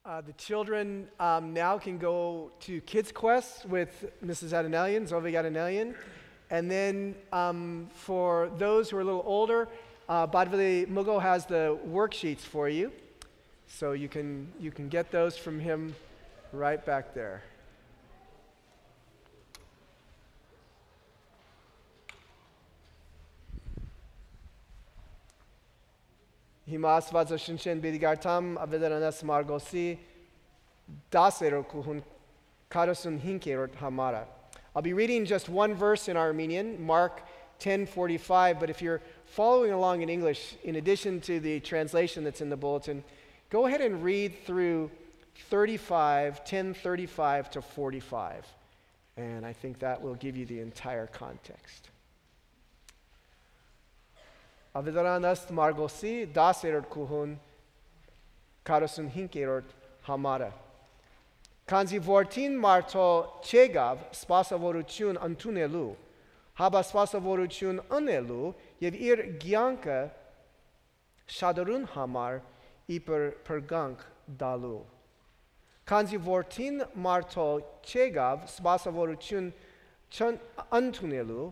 The children now can go to Kids Quest with Mrs. Adenelian, Zovig Adenelian. And then for those who are a little older, Badvili Mugo has the worksheets for you. So you can get those from him right back there. Հիմա Աստվածաշնչեն բիդգարտամ ավետարանաս Մարգոսի 10-րդ կուհուն 45-րդ համարը. I'll be reading just one verse in Armenian, Mark 10:45, but if you're following along in English, in addition to the translation that's in the bulletin, go ahead and read through 10:35 to 45, and I think that will give you the entire context. Ավետարանաս Մարգոսի 10-րդ կուհուն 45-րդ համարը. Քանզի որդին մարդո չեկավ սպասավորություն ընդունելու, հաբա սպասավորություն ընելու եւ իր կյանքը շադրուն համար իբր փրկանք դալու. Քանզի որդին մարդո չեկավ սպասավորություն ընդունելու,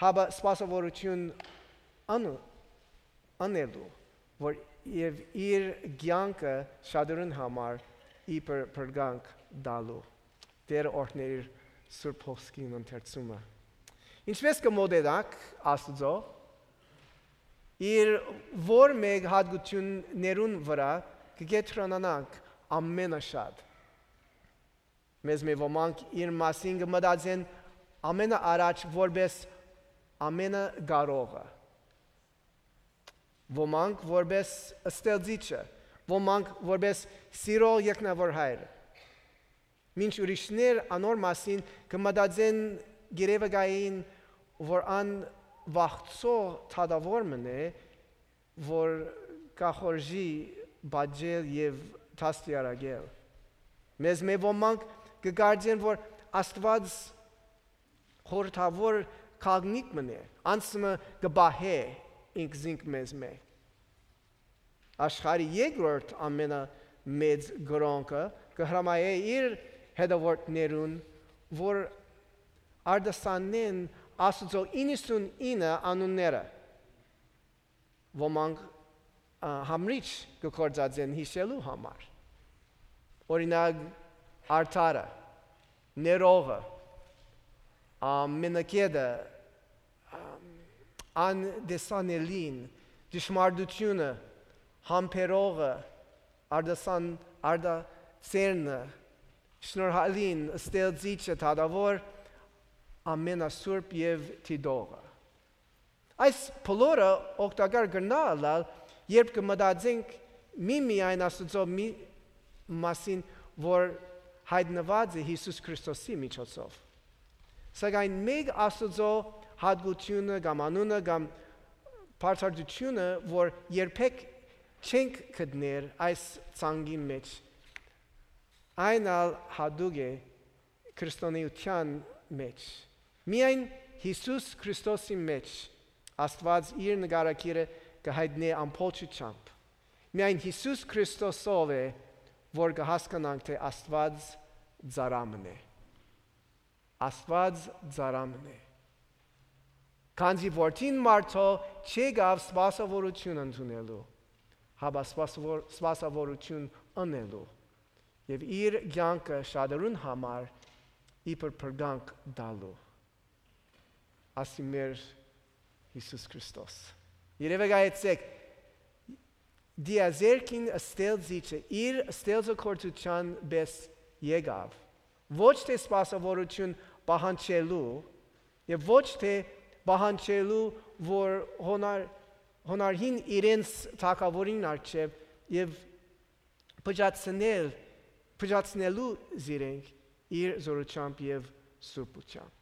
հաբա սպասավորություն անելու, որ եւ իր կյանքը շադրուն համար իբր փրկանք դալու. Դեր օրհներ Սուրբ Հոսքին ընթերցումը. Ինչպես կմոդելակ Աստծո իր որ մեկ հատկություններուն վրա կգետրոնանանք ամենաշատ. Մեզ մի ոմանք իր մասին կմտածեն ամենաառաջ որպես ամենագարողը. Ոմանք որպես ստեղծիչը, ոմանք որպես սիրո եկնավոր հայրը. Մինչ ուրիշներ անոր մասին կմտածեն գերեվգային, որ ան վախծո թադավոր մնե, որ կախորժի բաջել և թաստիարագել. Մեզ մի ոմանք կգարձեն, որ Աստված խորհրդավոր կաղնիկ մնե, անցմը կբահե ինքզինք մեզ մե. Աշխարհի երկրորդ ամենամեծ գրոնքը կհրամայե իր հետևորդներուն, որ արդասանեն Աստծո 99 անունները. Ոմանք համրիչ կկործածեն հիշելու համար. Օրինակ արդարը, ներողը, մենակեդը, անդեսանելին, դժմարտությունը, համբերողը, արդասերնը, շնորհալին, ստեղծիչը, թադավոր, ամենասուրբ և թիդողը. Այս բոլորը օգտակար կգնալ, երբ կմտածենք միայն Աստծո մասին, որ հայտնված է Հիսուս Քրիստոսի միջոցով. Սակայն մեկ Աստծո հատկությունը կամ անունը կամ բարձրությունը, որ երբեք չենք գտներ այս ցանկի մեջ, այն հատուկ է քրիստոնեության մեջ. Միայն Հիսուս Քրիստոսի մեջ Աստված իր նկարագիրը կհայտնի ամբողջությամբ. Միայն Հիսուս Քրիստոսով է, որ կհասկանանք, թե Աստված ծառամն է. Աստված ծառամն է. Քանզի որդին մարդո չեկավ սպասավորություն ընդունելու, հաբա սպասավորություն ընելու եւ իր կյանքը շադրուն համար իբր փրկանք դալու. Ասի մեր Հիսուս Քրիստոս. Երևակայեցեք դիազերքին ստեղծիչը իր ստեղծագործության պես եկավ. Ոչ թե սպասավորություն պահանջելու եւ ոչ թե պահանջելու, որ հոնարհին իրենց թագավորին առջև եւ փճացնելու զիրենք իր զորությամբ եւ սուրբությամբ.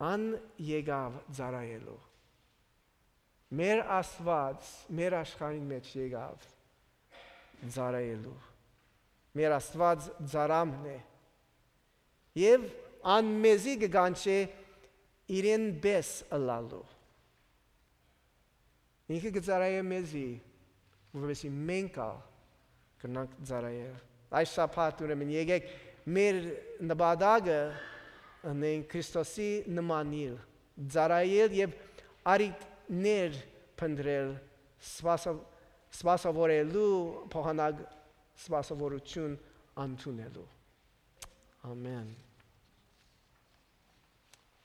Ան եկավ ծառայելու. Մեր Աստված մեր աշխարհի մեջ եկավ ծառայելու. Մեր Աստված ծառամն է. Եվ ան մեզի կգանչե իրեն պես ըլալու. Ինքը կծառայե մեզի, որովհետեւ մենք կրնանք ծառայել։ Այս շաբաթ ուրեմն եկեք մեր նպատակը անենք Քրիստոսի նմանիլ, ծառայել եւ արիքներ փնտրել, սպասավորելու, փոխանակ սպասավորություն ընդունելու։ Amen.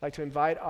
I'd like to invite